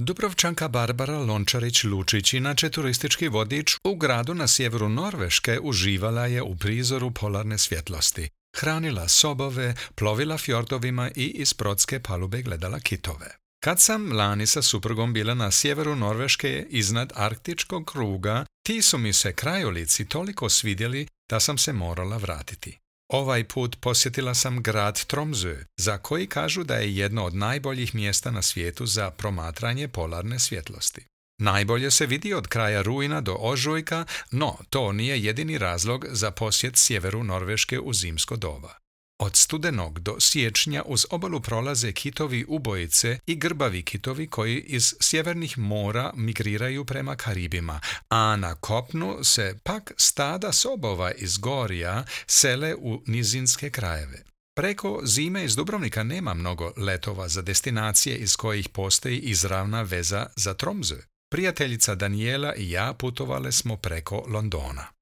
Dubrovčanka Barbara Lončarić-Lučić, inače turistički vodič u gradu na sjeveru Norveške, uživala je u prizoru polarne svjetlosti. Hranila sobove, plovila fjordovima i iz brodske palube gledala kitove. Kad sam lani sa suprugom bila na sjeveru Norveške iznad arktičkog kruga, ti su mi se krajolici toliko svidjeli da sam se morala vratiti. Ovaj put posjetila sam grad Tromsø, za koji kažu da je jedno od najboljih mjesta na svijetu za promatranje polarne svjetlosti. Najbolje se vidi od kraja rujna do ožujka, no to nije jedini razlog za posjet sjeveru Norveške u zimsko doba. Od studenog do siječnja uz obalu prolaze kitovi ubojice i grbavi kitovi koji iz sjevernih mora migriraju prema Karibima, a na kopnu se pak stada sobova iz gorja sele u nizinske krajeve. Preko zime iz Dubrovnika nema mnogo letova za destinacije iz kojih postoji izravna veza za Tromsø. Prijateljica Daniela i ja putovale smo preko Londona.